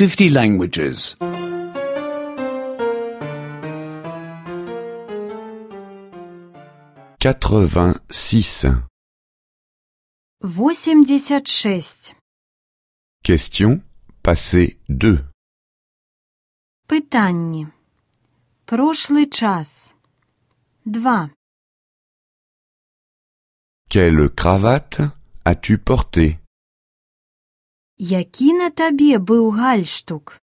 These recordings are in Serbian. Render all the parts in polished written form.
50 languages. 86. 86. Question passé 2. Питання. Прошлий час. 2. Quelle cravate as-tu porté? Який на тобі був гальштук?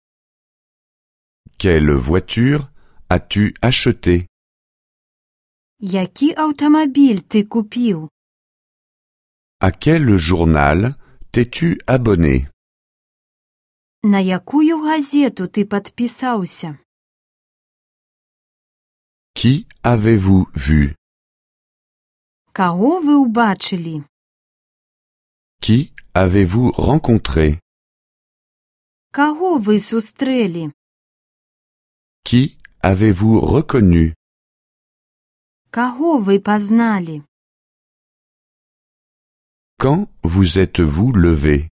Quelle voiture as-tu acheté? Який автомобіль ти купив? À quel journal t'es-tu abonné? На якую газету ти підписався? Qui avez-vous vu? Кого ви убачили? Qui avez-vous rencontré? Кого ви зустріли? Qui avez-vous reconnu? Кого ви познали? Quand vous êtes-vous levé?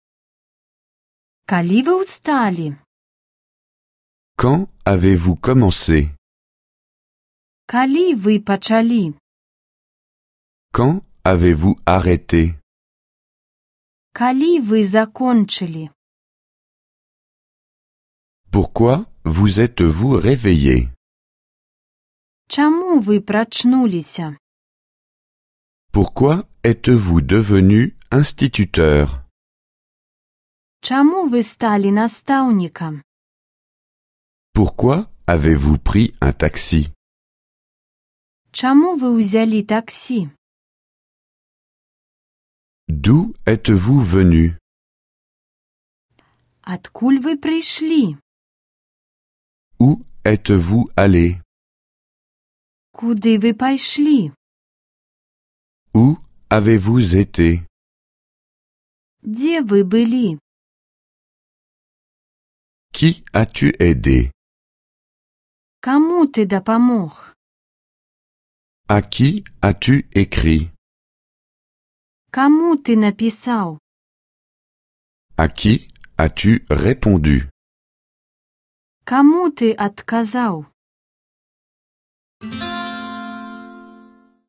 Коли ви устали? Quand avez-vous commencé? Коли ви почали? Quand avez-vous arrêté? Коли ви закончили? Pourquoi vous êtes-vous réveillé? Чому ви прочнулися? Pourquoi êtes-vous devenu instituteur? Чому ви стали наставником? Pourquoi avez-vous pris un taxi? Чому ви взяли таксі? D'où êtes-vous venu? Откуль ви прийшли? Où êtes-vous allé? Куди ви пішли? Où avez-vous été? Де ви були? Qui as-tu aidé? Кому ти допомог? À qui as-tu écrit? Кому ти написав? À qui as-tu répondu? Кому ти відказав?